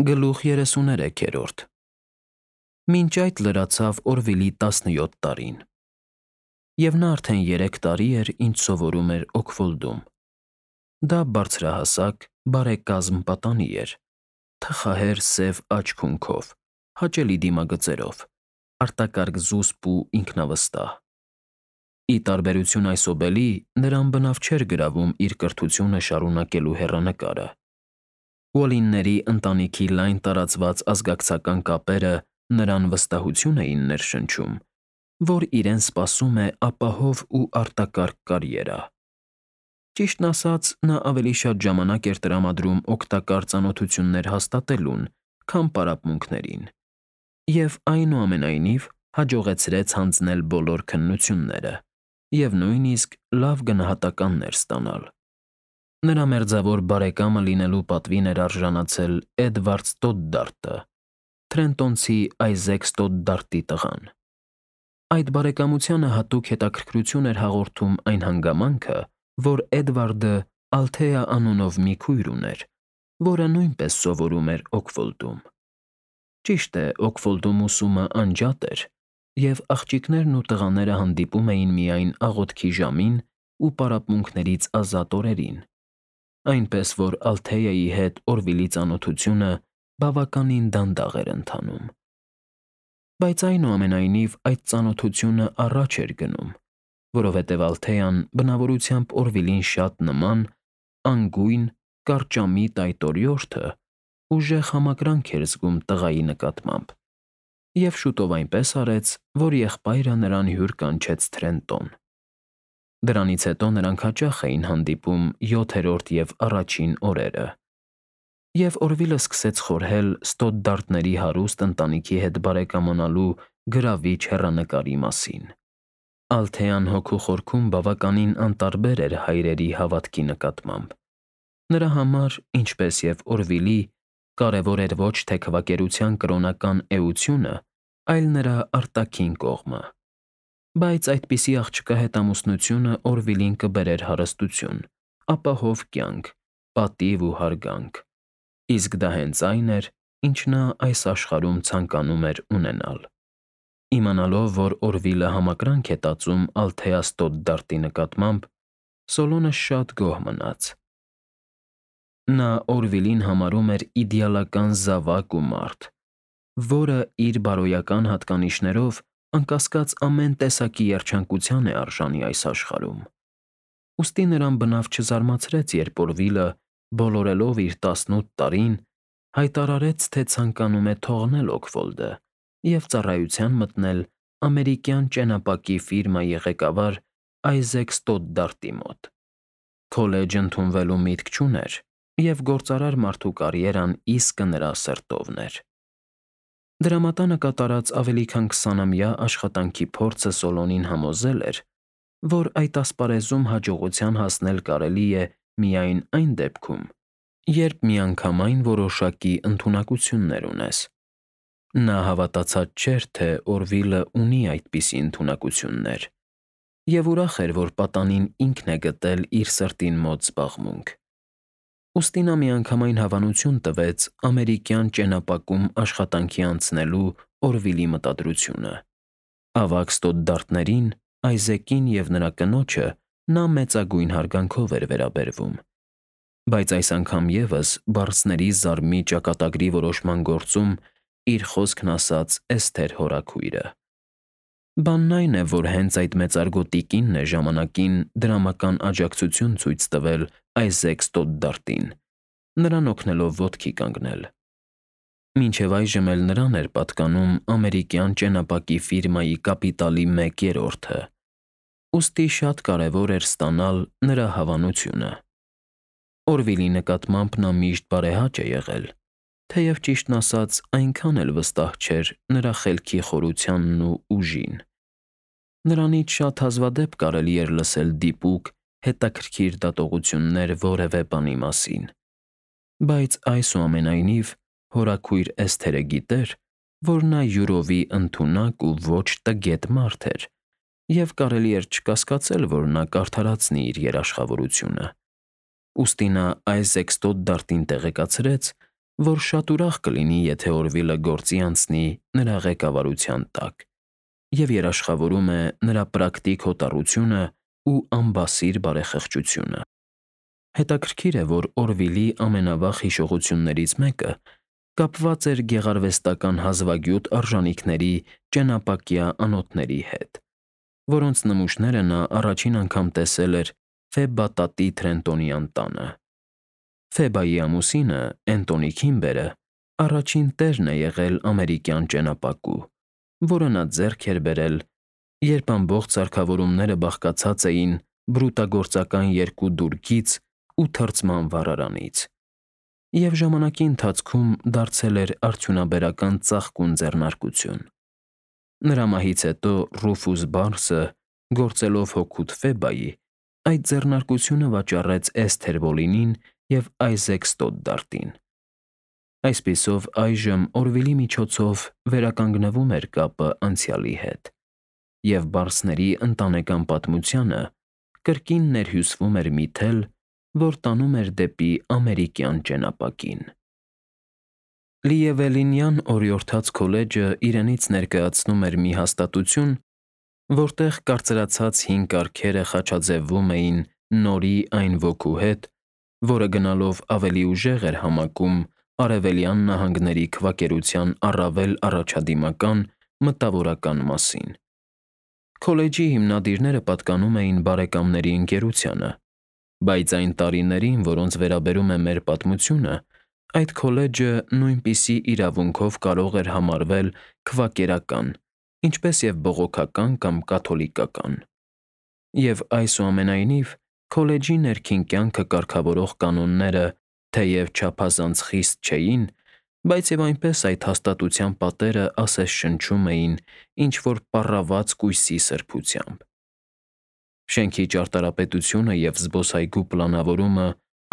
Գլուխ 33-րդ Մինչ այդ լրացավ Օրվիլի 17 տարին, և նա արդեն 3 տարի էր, ինչ սովորում էր Օքֆոլդում։ Դա բարձրահասակ, բարեկազմ պատանի էր, թխահեր սև աջ քունքով, հաճելի դիմագծերով, արտակարգ զուսպ ու ինքնավստահ։ Ի տարբերություն այսօբելի, նրան բնավ չէր գրավում իր կրթությունը շարունակելու հեռանկարը։ Ուոլինների ընտանիքի լայն տարածված ազգակցական կապերը նրան վստահություն էին ներշնչում, որ իրեն սպասում է ապահով ու արտակարգ կարիերա։ Ճիշտն ասած, նա ավելի շատ ժամանակ էր տրամադրում օգտակար ծանոթություններ հաստատելուն, քան պարապմունքներին, և այնուամենայնիվ հաջողեցրեց հանձնել բոլոր քննությունները և նույնիսկ լավ գնահատականներ ստանալ։ Նրա մերձավոր բարեկամը լինելու պատվին էր արժանացել Էդվարդ Ստոդդարտը, թրենտոնցի Այզեք Ստոդդարտի տղան։ Այդ բարեկամությանը հատուկ հետաքրքրություն էր հաղորդում այն հանգամանքը, որ Էդվարդը Ալթեա անունով մի քույր ուներ, որը նույնպես սովորում էր Օքֆոլդում։ Ճիշտ է, Օքֆոլդում ուսումը անջատ էր, և աղջիկներն ու տղաները հանդիպում էին միայն աղոթքի ժամին ու պարապմունքներից ազատ օրերին, այնպես որ Ալթեայի հետ Օրվիլի ծանոթությունը բավականին դանդաղ էր ընթանում։ Բայց այնուամենայնիվ այդ ծանոթությունը առաջ էր գնում, որովհետև Ալթեան բնավորությամբ Օրվիլին շատ նման, անգույն, կարճամիտ այդ օրիորդը ուժեղ համակրանք էր զգում տղայի նկատմամբ, և շուտով այնպես արեց, որ եղբայրը նրան հյուր կանչեց Թրենտոն։ Դրանից հետո նրանք հաճախ էին հանդիպում յոթերորդ և առաջին օրերը, և Օրվիլը սկսեց խորհել Ստոդդարտների հարուստ ընտանիքի հետ բարեկամանալու գրավիչ հեռանկարի մասին։ Ալթեան հոգու խորքում բավականին անտարբեր էր հայրերի հավատքի նկատմամբ։ Նրա համար, ինչպես և Օրվիլի, կարևոր էր ոչ թե քվակերության կրոնական էությունը, այլ նրա արտաքին կողմը։ Բայց այդպիսի աղջկա հետ ամուսնությունը Օրվիլին կբերեր հարստություն, ապահով կյանք, պատիվ ու հարգանք, իսկ դա հենց այն էր, ինչ նա այս աշխարհում ցանկանում էր ունենալ։ Իմանալով, որ Օրվիլը համակրանք է տածում Ալթեա Ստոդդարտի նկատմամբ, Սոլոնը շատ գոհ մնաց։ Նա Օրվիլին համարում էր իդեալական զավակ ու մարդ, որը իր բարոյական հատկանիշներով անկասկած ամեն տեսակի երջանկության է արժանի այս աշխարհում։ Ուստի նրան բնավ չզարմացրեց, երբ Օրվիլը, բոլորելով իր 18 տարին, հայտարարեց, թե ցանկանում է թողնել Օքֆոլդը և ծառայության մտնել ամերիկյան ճենապակի ֆիրմայի ղեկավար Այզեք Ստոդդարտի մոտ։ Քոլեջ ընդունվելու միտք չուներ, և գործարար մարդու կարիերան իսկը նրա սրտովն էր։ Դրամատանը կատարած ավելի քան 20-ամյա աշխատանքի փորձը Սոլոնին համոզել էր, որ այդ ասպարեզում հաջողության հասնել կարելի է միայն այն դեպքում, երբ միանգամայն որոշակի ընդունակություններ ունես։ Նա հավատացած չէր, թե Օրվիլը ունի այդպիսի ընդունակություններ, և ուրախ էր, որ պատանին ինքն է գտել իր սրտին մոտ զբաղմունք։ Ուստի նա միանգամայն հավանություն տվեց ամերիկյան ճենապակում աշխատանքի անցնելու Օրվիլի մտադրությունը։ Ավագ Ստոդդարտներին, Այզեկին և նրա կնոջը նա մեծագույն հարգանքով էր վերաբերվում, բայց այս անգամ ևս բառսների զարմի ճակատագրի որոշման գործում իր խոսքն ասաց Էսթեր հորաքույրը։ Բանն այն է, որ հենց այդ մեծարգո տիկինն է ժամանակին դրամական աջակցություն ցույց տվել Այզեք Ստոդդարտին, նրան օգնելով ոտքի կանգնել։ Մինչև այժմ էլ նրան էր պատկանում ամերիկյան ճենապակի ֆիրմայի կապիտալի 1/3-ը, ուստի շատ կարևոր էր ստանալ նրա հավանությունը։ Օրվիլի նկատմամբ նա միշտ բարեհաճ է եղել, թեև ճիշտն ասած այնքան էլ վստահ չէր նրա խելքի խորությանն ու ուժին։ Նրանից շատ հազվադեպ կարելի էր լսել դիպուկ, հետաքրքիր դատողություններ որևէ բանի մասին, բայց այսուամենայնիվ հորաքույր Էսթերը գիտեր, որ նա յուրովի ընդունակ ու ոչ տգետ մարդ էր, և կարելի էր չկասկածել, որ նա կարդարացնի իր երաշխավորությունը։ Ուստի նա Այզեք Ստոդդարտին տեղեկացրեց, որ շատ ուրախ կլինի, եթե Օրվիլը գործի անցնի նրա ղեկավարության տակ, և երաշխավորում է նրա պրակտիկ հոտառությունը ու անբասիր բարեխղճությունը։ Հետաքրքիր է, որ Օրվիլի ամենավաղ հիշողություններից մեկը կապված էր գեղարվեստական հազվագյուտ արժանիքների ճենապակյա անոթների հետ, որոնց նմուշները նա առաջին անգամ տեսել էր Ֆեբբա տատի Թրենտոնյան տանը։ Ֆեբայի ամուսինը՝ Էնտոնի Քիմբերը, առաջին տերն է եղել ամերիկյան ճենապակու, որը նա ձեռք էր բերել, երբ ամբողջ սարքավորումները բաղկացած էին բրուտագործական 2 դուրգից ու թրծման վառարանից, և ժամանակի ընթացքում դարձել էր արդյունաբերական ծաղկուն ձեռնարկություն։ Նրա մահից հետո Ռուֆուս Բարսը, գործելով հօգուտ Ֆեբայի, այդ ձեռնարկությունը վաճառեց Էսթեր Բոլինին և Այզեք Ստոդդարտին։ Այսպիսով, այժմ Օրվիլի միջոցով վերականգնվում էր կապը անցյալի հետ, և Բարսների ընտանեկան պատմությանը կրկին ներհյուսվում էր մի թել, որ տանում էր դեպի ամերիկյան ճենապակին։ Լիևելինյան օրիորդաց քոլեջը իրենից ներկայացնում էր մի հաստատություն, որտեղ կարծրացած հին կարգերը խաչաձևվում էին նորի այն ոգու հետ, որը գնալով ավելի ուժեղ էր համակում Արևելյան նահանգների քվակերության առավել առաջադիմական մտավորական մասին։ Քոլեջի հիմնադիրները պատկանում էին բարեկամների ընկերությանը, բայց այն տարիներին, որոնց վերաբերում է մեր պատմությունը, այդ քոլեջը նույնպիսի իրավունքով կարող էր համարվել քվակերական, ինչպես և բողոքական կամ կաթոլիկական։ Եվ այսուամենայնիվ, քոլեջի ներքին կյանքը կարգավորող կանոնները թեև չափազանց խիստ չէին, բայց և այնպես այդ հաստատության պատերը ասես շնչում էին ինչ-որ պառաված կույսի սրբությամբ։ Շենքի ճարտարապետությունը և զբոսայգու պլանավորումը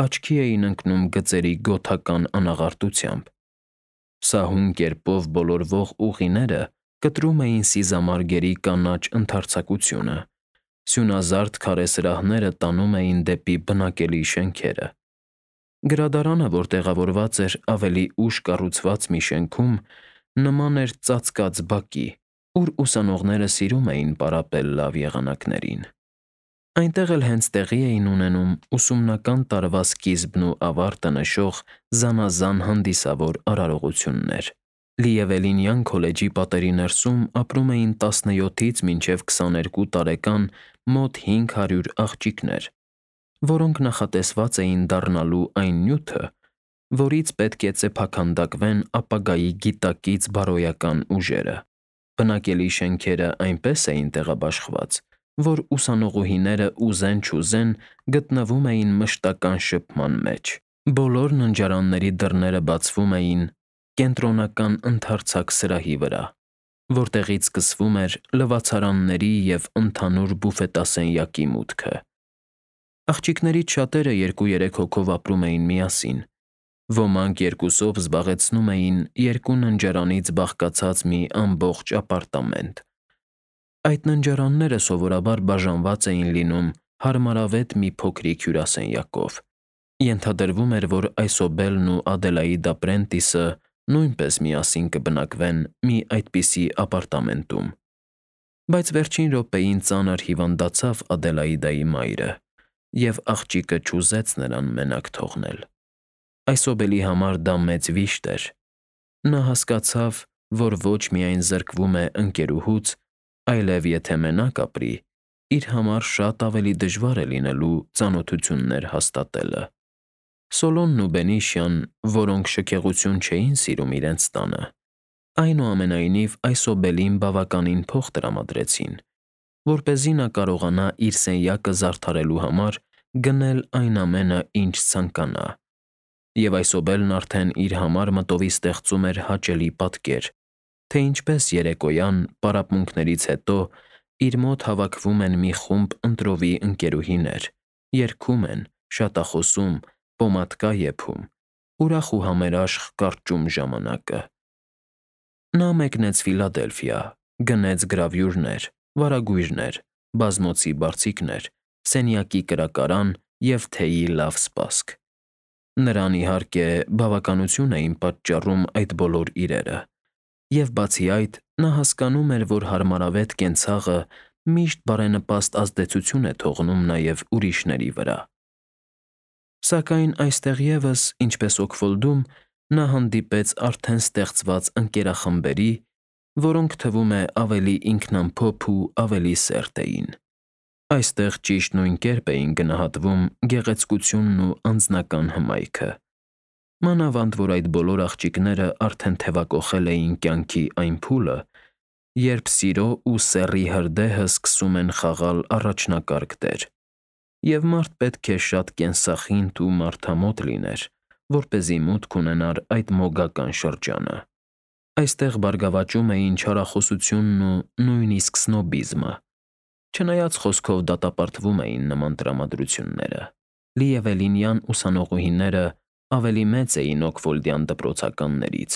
աչքի էին ընկնում գծերի գոթական անաղարտությամբ։ Սահուն կերպով բոլորվող ուղիները կտրում էին սիզամարգերի կանաչ ընդարձակությունը, սյունազարդ քարե սրահները տանում էին դեպի բնակելի շենքերը։ Գրադարանը, որ տեղավորված էր ավելի ուշ կառուցված մի շենքում, նման էր ծածկած բակի, ուր ուսանողները սիրում էին պարապել լավ եղանակներին։ Այնտեղ էլ հենց տեղի էին ունենում ուսումնական տարվա սկիզբն ու ավարտը նշող զանազան հանդիսավոր արարողություններ։ Լիևելինյան քոլեջի պատերի ներսում ապրում էին 17-ից մինչև 22 տարեկան մոտ 500 աղջիկներ, որոնք նախատեսված էին դառնալու այն նյութը, որից պետք է ծեփաքանդակվեն ապագայի գիտակից բարոյական ուժերը։ Բնակելի շենքերը այնպես էին տեղաբաշխված, որ ուսանողուհիները ուզեն-չուզեն գտնվում էին մշտական շփման մեջ։ Բոլոր ննջարանների դռները բացվում էին կենտրոնական ընդարձակ սրահի վրա, որտեղից սկսվում էր լվացարանների և ընդհանուր բուֆետասենյակի մուտքը։ Աղջիկներից շատերը 2-3 հոգով ապրում էին միասին, ոմանք երկուսով զբաղեցնում էին 2 ննջարանից բաղկացած մի ամբողջ ապարտամենտ։ Այդ ննջարանները սովորաբար բաժանված էին լինում հարմարավետ մի փոքրիկ հյուրասենյակով։ Ենթադրվում էր, որ Այսոբելն ու Ադելաիդա Պրենտիսը նույնպես միասին կբնակվեն մի այդպիսի ապարտամենտում։ Բայց վերջին րոպեին ծանր հիվանդացավ Ադելաիդայի մայրը, և աղջիկը չուզեց նրան մենակ թողնել։ Այսոբելի համար դա մեծ վիշտ էր։ Նա հասկացավ, որ ոչ միայն զրկվում է ընկերուհուց, այլև եթե մենակ ապրի, իր համար շատ ավելի դժվար է լինելու ծանոթություններ հաստատելը։ Սոլոմն ու Բենիշյան, որոնք շքեղություն չէին սիրում իրենց տանը, այնուամենայնիվ Այսոբելին բավականին փող տրամադրեցին, որպեսզի նա կարողանա իր սենյակը զարդարելու համար գնել այն ամենը, ինչ ցանկանա, և Այսոբելն արդեն իր համար մտովի ստեղծում էր հաճելի պատկեր, թե ինչպես երեկոյան, պարապմունքներից հետո, իր մոտ հավաքվում են մի խումբ ընտրովի ընկերուհիներ, երգում են, շատախոսում, պոմադկա եփում, ուրախ ու համերաշխ կարճում ժամանակը։ Նա մեկնեց Ֆիլադելֆիա, գնեց գրավյուրներ, վարագույրներ, բազմոցի բարձիկներ, սենյակի կրակարան և թեյի լավ սպասք։ Նրան իհարկե բավականություն էին պատճառում այդ բոլոր իրերը, և բացի այդ, նա հասկանում էր, որ հարմարավետ կենցաղը միշտ բարենպաստ ազդեցություն է թողնում նաև ուրիշների վրա։ Սակայն այստեղ ևս, ինչպես Օքֆոլդում, նա հանդիպեց արդեն ստեղծված ընկերախմբերի, որոնք թվում է ավելի ինքնամփոփ ու ավելի սերտ էին։ Այստեղ ճիշտ նույն կերպ էին գնահատվում գեղեցկությունն ու անձնական հմայքը, մանավանդ որ այդ բոլոր աղջիկները արդեն թևակոխել էին կյանքի այն փուլը, երբ սիրո ու սեռի հրդեհը սկսում են խաղալ առաջնակարգ դեր, և մարդ պետք է շատ կենսախինդ ու մարդամոտ լիներ, որպեսզի մուտք ունենար այդ մոգական շրջանը։ Այստեղ բարգավաճում էին չարախոսությունն ու նույնիսկ սնոբիզմը, չնայած խոսքով դատապարտվում էին նման տրամադրությունները։ Լիևելինյան ուսանողուհիները ավելի մեծ էին օքֆոլդյան դպրոցականներից,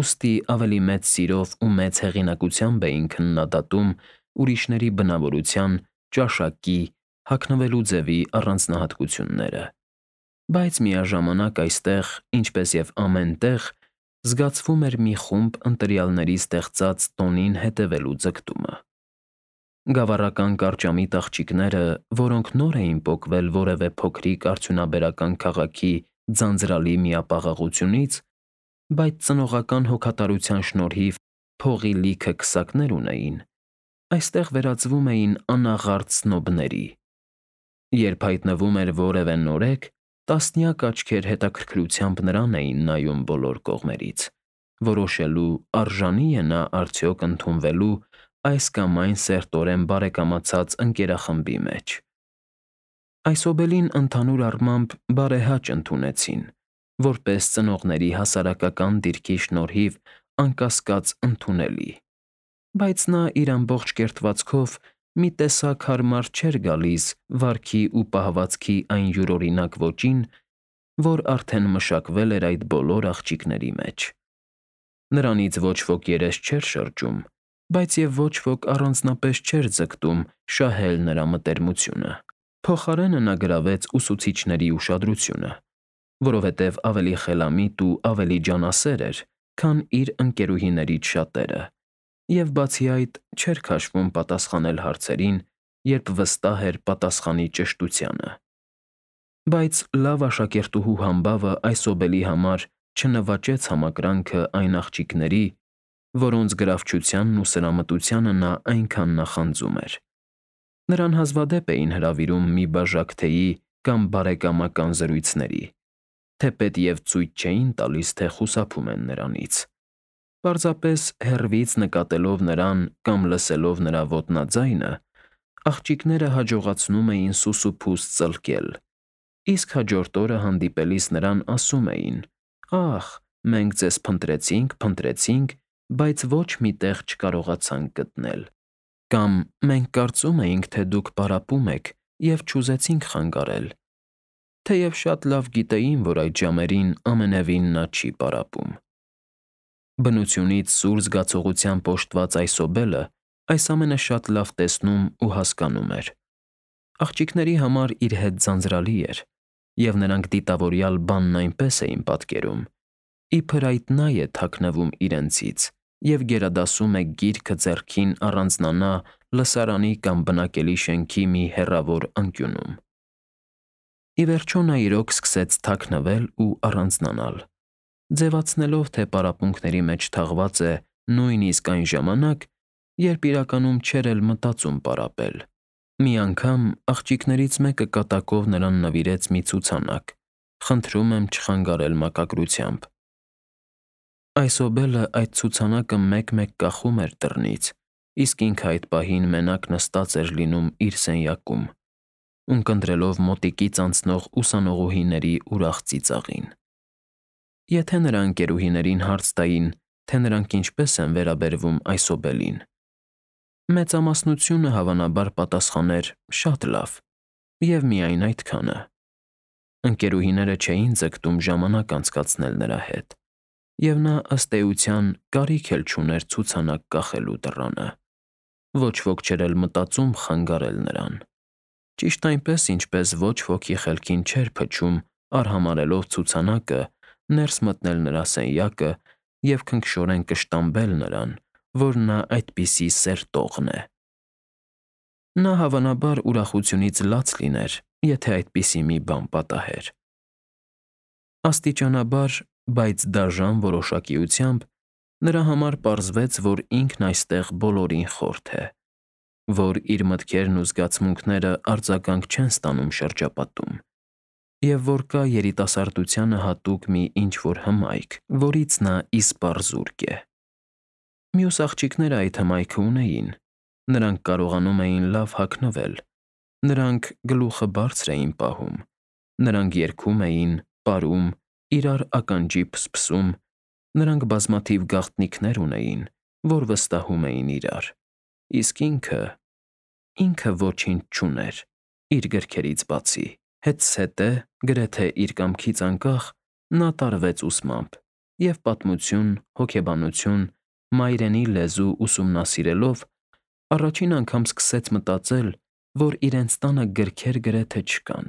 ուստի ավելի մեծ սիրով ու մեծ հեղինակությամբ էին քննադատում ուրիշների բնավորության, ճաշակի, հագնվելու ձևի առանձնահատկությունները։ Բայց միաժամանակ այստեղ, ինչպես և ամեն տեղ, զգացվում էր մի խումբ ընտրյալների ստեղծած տոնին հետևելու ձգտումը։ Գավառական կարճամիտ աղջիկները, որոնք նոր էին պոկվել որևէ փոքրիկ արդյունաբերական քաղաքի ձանձրալի միապաղաղությունից, բայց ծնողական հոգատարության շնորհիվ փողի լիքը քսակներ ունեին, այստեղ վերածվում էին անաղարտ սնոբների։ Երբ հայտնվում էր որևէ նորեկ, տասնյակ աչքեր հետաքրքրությամբ նրան էին նայում բոլոր կողմերից, որոշելու արժանի՞ է նա արդյոք ընդունվելու այս կամ այն սերտորեն բարեկամացած ընկերախմբի մեջ։ Այսօբելին ընդհանուր առմամբ բարեհաճ ընդունեցին, որպես ծնողների հասարակական դիրքի շնորհիվ անկասկած ընդունելի, բայց նա իր ամբողջ կերտվածքով մի տեսակ հարմար չէր գալիս վարքի ու պահվածքի այն յուրօրինակ ոճին, որ արդեն մշակվել էր այդ բոլոր աղջիկների մեջ։ Նրանից ոչ ոք երես չէր շրջում, բայց և ոչ ոք առանձնապես չէր ձգտում շահել նրա մտերմությունը։ Փոխարենը նա գրավեց ուսուցիչների ուշադրությունը, որովհետև ավելի խելամիտ ու ավելի ջանասեր էր, քան իր ընկերուհիներից շատերը, և բացի այդ չէր քաշվում պատասխանել հարցերին, երբ վստահ էր պատասխանի ճշտությանը։ Բայց լավ աշակերտուհու համբավը այսօբելի համար չնվաճեց համակրանքը այն աղջիկների, որոնց գրավչությանն ու սրամտությանը նա այնքան նախանձում էր։ Նրան հազվադեպ էին հրավիրում մի բաժակ թեյի կամ բարեկամական զրույցների, թեպետ և ցույց չէին տալիս, թե խուսափում են նրանից։ Պարզապես հեռվից նկատելով նրան կամ լսելով նրա ոտնաձայնը, աղջիկները հաջողացնում էին սուսուփուս ծլկել, իսկ հաջորդ օրը հանդիպելիս նրան ասում էին. «Ախ, մենք ձեզ փնտրեցինք, բայց ոչ մի տեղ չկարողացանք գտնել», կամ «Մենք կարծում էինք, թե դուք պարապում եք և չուզեցինք խանգարել», թեև շատ լավ գիտեին, որ այդ ժամերին ամենևին նա չի պարապում։ Բնությունից սուր զգացողությամբ օժտված այսօբելը այս ամենը շատ լավ տեսնում ու հասկանում էր։ Աղջիկների համար իր հետ ձանձրալի էր, և նրանք դիտավորյալ բանն այնպես էին պատկերում, իբր այդ նա է թաքնվում իրենցից և գերադասում է գիրքը ձեռքին առանձնանա լսարանի կամ բնակելի շենքի մի հեռավոր անկյունում։ Ի վերջո նա իրոք սկսեց թաքնվել ու առանձնանալ, ձևացնելով, թե պարապմունքների մեջ թաղված է նույնիսկ այն ժամանակ, երբ իրականում չէր էլ մտածում պարապել։ Մի անգամ աղջիկներից մեկը կատակով նրան նվիրեց մի ցուցանակ, խնդրում եմ չխանգարել մակագրությամբ։ Այսօբելը այդ ցուցանակը մեկ-մեկ կախում էր դռնից, իսկ ինքը այդ պահին մենակ նստած էր լինում իր սենյակում, ունկնդրելով մոտիկից անցնող ուսանողուհիների ուրախ ծիծաղին։ Եթե նրա ընկերուհիներին հարց տային, թե նրանք ինչպես են վերաբերվում այսօբելին, մեծամասնությունը հավանաբար պատասխաներ. «Շատ լավ» և միայն այդքանը։ Ընկերուհիները չէին ձգտում ժամանակ անցկացնել նրա հետ, և նա ըստ էության կարիք էլ չուներ ցուցանակ կախելու դռանը։ Ոչ ոք չէր էլ մտածում խանգարել նրան։ Ճիշտ այնպես, ինչպես ոչ ոքի խելքին չէր փչում արհամարելով ցուցանակը, ներս մտնել նրա սենյակը և քնքշորեն կշտամբել նրան, որ նա այդպիսի սեր տողն է։ Նա հավանաբար ուրախությունից լաց լիներ, եթե այդպիսի մի բան պատահեր։ Աստիճանաբար, բայց դաժան որոշակիությամբ նրա համար պարզվեց, որ ինքն այստեղ բոլորին խորթ է, որ իր մտքերն ու զգացմունքները արձագանք չեն ստանում շրջապատում, և որ կա երիտասարդությանը հատուկ մի ինչ-որ հմայք, որից նա իսպառ զուրկ է։ Մյուս աղջիկները այդ հմայքը ունեին, նրանք կարողանում էին լավ հագնվել, նրանք գլուխը բարձր էին պահում, նրանք երգում էին, պարում, իրար ականջի փսփսում, նրանք բազմաթիվ գաղտնիքներ ունեին, որ վստահում էին իրար, իսկ ինքը ոչինչ չուներ, իր գրքերից բացի։ Հետզհետե, գրեթե իր կամքից անկախ, նա տարվեց ուսմամբ և պատմություն, հոգեբանություն, մայրենի լեզու ուսումնասիրելով, առաջին անգամ սկսեց մտածել, որ իրենց տանը գրքեր գրեթե չկան։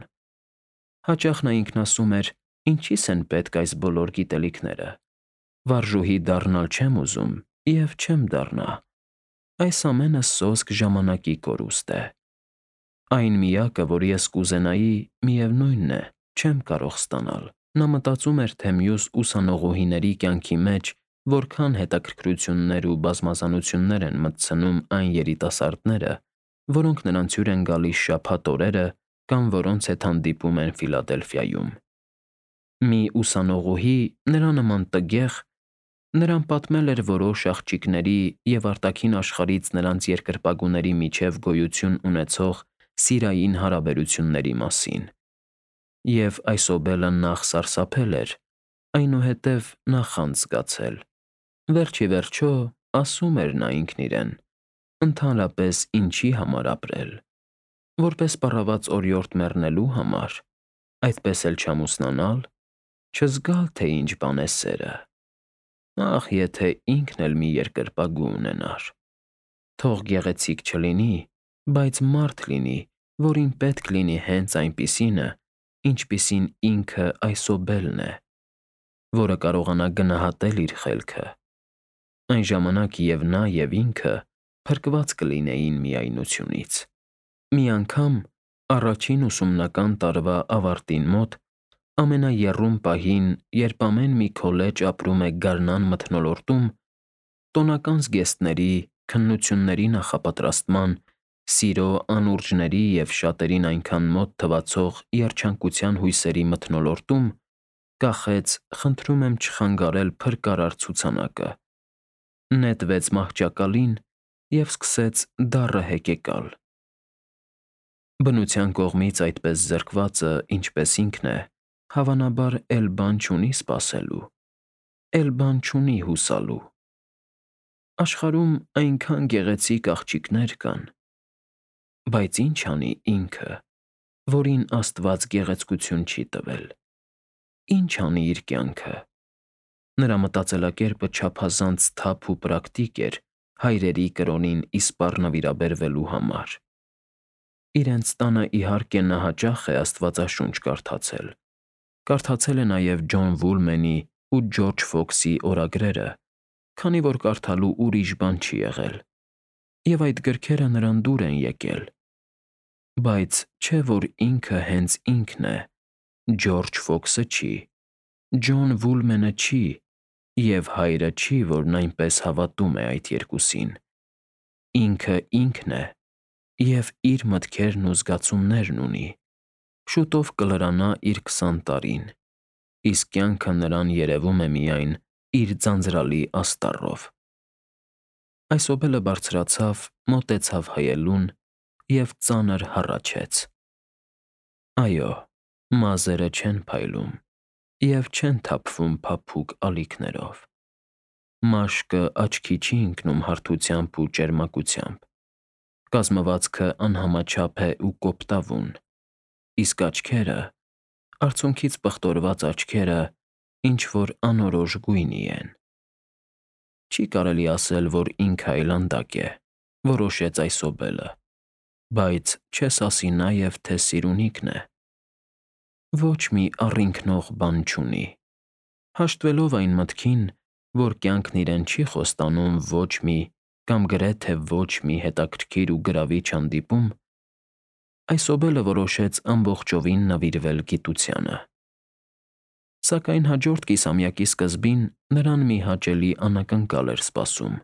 Հաճախ նա ինքնասում էր. «Ինչի՞ս են պետք այս բոլոր գիտելիքները։ Վարժուհի դառնալ չեմ ուզում և չեմ դառնա։ Այս ամենը սոսկ ժամանակի կորուստ է։ Այն միակը, որ ես կուզենայի, միևնույնն է, չեմ կարող ստանալ»։ Նա մտածում էր, թե մյուս ուսանողուհիների կյանքի մեջ որքան հետաքրքրություններ ու բազմազանություններ են մտցնում այն երիտասարդները, որոնք նրանց հյուր են գալիս շաբաթ օրերը կամ որոնց հետ հանդիպում են Ֆիլադելֆիայում։ Մի ուսանողուհի, նրա նման տգեղ, նրան պատմել էր որոշ աղջիկների և արտաքին աշխարհից նրանց երկրպագուների միջև գոյություն ունեցող սիրային հարաբերությունների մասին։ Եվ այսօբելը նախ սարսափել էր, այնուհետև նախանձ զգացել։ Վերջ ի վերջո, ասում էր նա ինքն իրեն. «Ընդհանրապես ինչի համար ապրել։ Որպես պառաված օրիորդ մեռնելու համար, այդպես էլ չամուսնանալ, չզգալ, թե ինչ բան է սերը։ Ախ, եթե ինքն էլ մի երկրպագու ունենար։ Թող գեղեցիկ չլինի, բայց մարդ լինի, որին պետք լինի հենց այնպիսինը, ինչպիսին ինքը այսօբելն է, որը կարողանա գնահատել իր խելքը։ Այն ժամանակ և նա, և ինքը փրկված կլինեին միայնությունից»։ Մի անգամ, առաջին ուսումնական տարվա ավարտին մոտ, ամենաեռում պահին, երբ ամեն մի քոլեջ ապրում է գարնան մթնոլորտում, տոնական զգեստների, քննությունների նախապատրաստման, սիրո անուրջների և շատերին այնքան մոտ թվացող երջանկության հույսերի մթնոլորտում, կախեց «Խնդրում եմ չխանգարել» փրկարար ցուցանակը, նետվեց մահճակալին և սկսեց դառը հեկեկալ։ Բնության կողմից այդպես զրկվածը, ինչպես ինքն է, հավանաբար էլ բան չունի սպասելու, էլ բան չունի հուսալու։ Աշխարհում այնքան գեղեցիկ աղջիկներ կան, բայց ինչ անի ինքը, որին Աստված գեղեցկություն չի տվել։ Ինչ անի իր կյանքը։ Նրա մտածելակերպը չափազանց սթափ ու պրակտիկ էր հայրերի կրոնին իսպառ նվիրաբերվելու համար։ Իրենց տանը, իհարկե, նա հաճախ է Աստվածաշունչ կարդացել։ Կարդացել է նաև Ջոն Վուլմենի ու Ջորջ Ֆոքսի օրագրերը, քանի որ կարդալու ուրիշ բան չի եղել, և այդ գրքերը նրան դուր են եկել։ Բայց չէ՞ որ ինքը հենց ինքն է, Ջորջ Ֆոքսը չի, Ջոն Վուլմենը չի, և հայրը չի, որն այնպես հավատում է այդ երկուսին։ Ինքը ինքն է և իր մտքերն ու զգացումներն ունի։ Շուտով կլրանա իր 20 տարին, իսկ կյանքը նրան երևում է միայն իր ձանձրալի աստառով։ Այսօբելը բարձրացավ, մոտեցավ հայելուն և ծանր հառաչեց։ Այո, մազերը չեն փայլում և չեն թափվում փափուկ ալիքներով։ Մաշկը աչքի չի ընկնում հարթությամբ ու ճերմակությամբ։ Կազմվածքը անհամաչափ է ու կոպտավուն, իսկ աչքերը, արցունքից պղտորված աչքերը, ինչ-որ անորոշ գույնի են։ Չի կարելի ասել, որ ինքը այլանդակ է, որոշեց այսօբելը, բայց չես ասի նաև, թե սիրունիքն է։ ոչ մի առինքնող բան չունի։ Հաշտվելով այն մտքին, որ կյանքն իրեն չի խոստանում ոչ մի կամ գրեթե ոչ մի հետաքրքիր ու գրավիչ հանդիպում, այս հոբելը որոշեց ամբողջովին նվիրվել գիտությանը։ Սակայն հաջորդ կիսամյակի սկզբին նրան մի հաճելի անակնկալ էր սպասում։